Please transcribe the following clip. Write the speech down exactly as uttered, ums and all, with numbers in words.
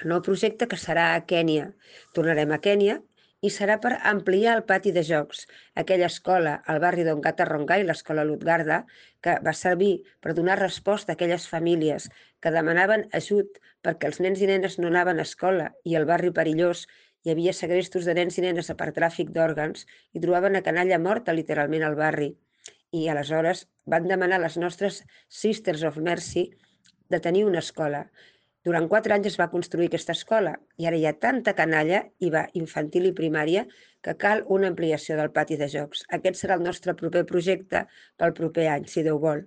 El nou projecte, que serà a Kènia, tornarem a Kènia, i serà per ampliar el pati de jocs. Aquella escola, al barri d'Ongata Rongai, l'escola Lutgarda, que va servir per donar resposta a aquelles famílies que demanaven ajut perquè els nens i nenes no anaven a escola i al barri perillós hi havia segrestos de nens i nenes per tràfic d'òrgans i trobaven a canalla morta literalment al barri. I aleshores van demanar a les nostres Sisters of Mercy de tenir una escola. Durant quatre anys es va construir aquesta escola i ara hi ha tanta canalla, i va infantil i primària, que cal una ampliació del pati de jocs. Aquest serà el nostre proper projecte pel proper any, si Déu vol.